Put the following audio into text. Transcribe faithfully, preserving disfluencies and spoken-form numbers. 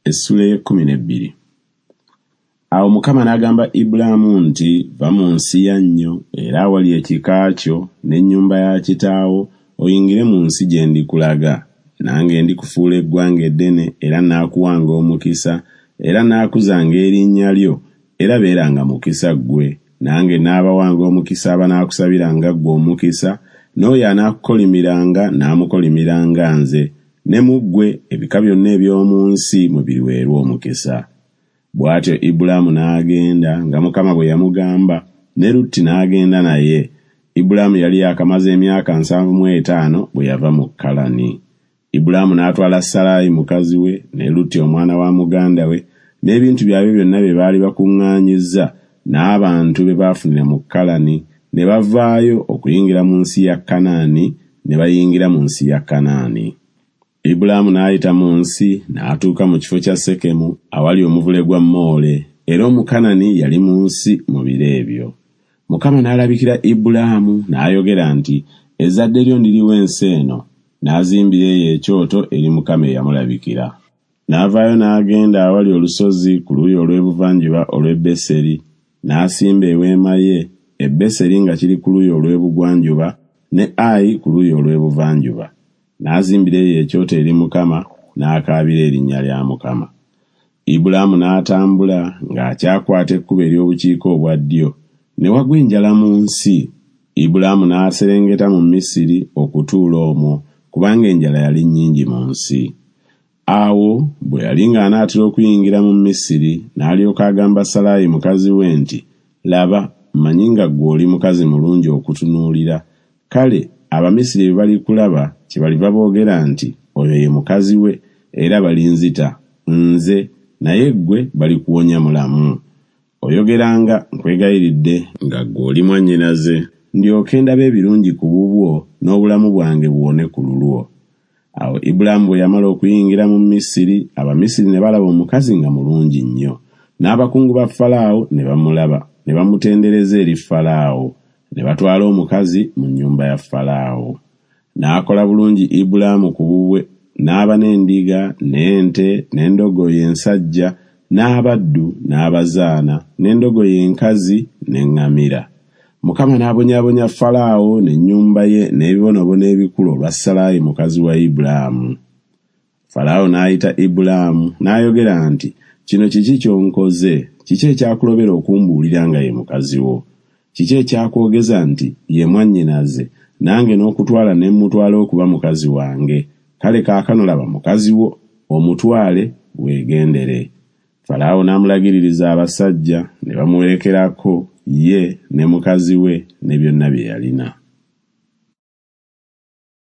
Essula ey'ekkumi n'ebbiri. Awo Mukama n'agamba Ibulaamu nti, Va mu nsi yannyo era awali ekika kyo n'ennyumba ya kitaawo, oyingire mu nsi gye ndikulaga. Nange ndikufuula eggwanga eddene era naakuwanga omukisa, era naakuzanga erinnya lyo, era beeranga mukisa ggwe. Nange naabawanga omukisa abanaakusabiranga ggwe omukisa, n'oyo anaakukolimiranga n'amukolimiranga nze, ne mu ggwe ebika byonna eby'omu nsi mwe biriweerwa omukisa. Bw'atyo Ibulaamu n'agenda nga Mukama bwe yamugamba, ne Lutti n'agenda naye. Ibulaamu yali yaakamaze emyaka nsanvu mu etaano bwe yava mu Kalani. Ibulaamu n'atwala Salaayi mukazi we, ne Lutti omwana wa muganda we, n'ebintu byabwe byonna bye baali bakuŋŋaanyizza, n'abantu be baafunira mu Kalani, ne bavaayo okuyingira mu nsi ya Kanaani, ne bayingira mu nsi ya Kanaani. Ibulaamu n'ayita mu nsi n'atuuka mu kifo kya Sekemu awali omuvule gwa Moole, era Omukanani yali mu nsi mu biro ebyo. Mukama n'alabikira Ibulaamu n'ayogera nti, Ezzadde lyo ndiriwa ensi eno. N'azimbira eyo ekyoto eri Mukama eyamulabikira. N'avaayo n'agenda awali olusozi ku luuyi olw'ebuvanjuba olw'e Beseri, n'asimba eweema ye, e Beseri nga kiri ku luuyi olw'ebugwanjuba, ne Ayi ku luuyi olw'ebuvanjuba. N'azimbira eyo ekyoto eri Mukama, n'akaabira erinnya lya Mukama. Ibulaamu n'atambula ng'akyakwata ekkubo ery'obukiika obwa ddyo, ne wagwa enjala mu nsi. Ibulaamu n'aserengeta mu Misiri okutuula omwo, kubanga enjala yali nnyingi mu nsi. Awo bwe yali ng'anaatera okuyingira mu Misiri, n'alyoka agamba Salaayi mukazi we nti, Laba, mmanyi nga ggwe oli mukazi mulungi okutunuulira. Kale Abamisiri bwe balikulaba, kyebaliva boogera nti, Oyo ye mukazi we, era balinzita nze, naye ggwe balikuwonya mulamu. Oyogeranga, nkwegayiridde, nga ggwe oli mwannyinaze, ndyoke ndabe ebirungi ku bubwo, n'obulamu bwange buwone ku lulwo. Awo Ibulaamu bwe yamala okuyingira mu Misiri, Abamisiri ne balaba omukazi nga mulungi nnyo. N'abakungu ba Falaawo ne bamulaba, ne bamutendereza eri Falaawo. Ne batwala omukazi mu nnyumba ya Falaawo. N'akola bulungi Ibulaamu ku bubwe, n'aba n'endiga, n'ente, n'endogoyi ensajja, n'abaddu, n'abazaana, n'endogoyi enkazi, n'eŋŋamira. Mukama n'abonyaabonya Falaawo n'ennyumba ye n'ebibonoobono ebikulu olwa Salaayi mukazi wa Ibulaamu. Falaawo n'ayita Ibulaamu n'ayogera nti, Kino kiki ky'onkoze? Kiki ekyakulobera okumbuulira nga ye mukazi wo? Kiki ekyakwogeza nti ye mwannyinaze, nange n'okutwala ne mmutwala okuba mukazi wange? Kale kaakano laba mukazi wo, omutwale weegendere. Falaawo n'amulagiririza abasajja, ne bamuwerekerako ye ne mukazi we ne byonna bye yalina.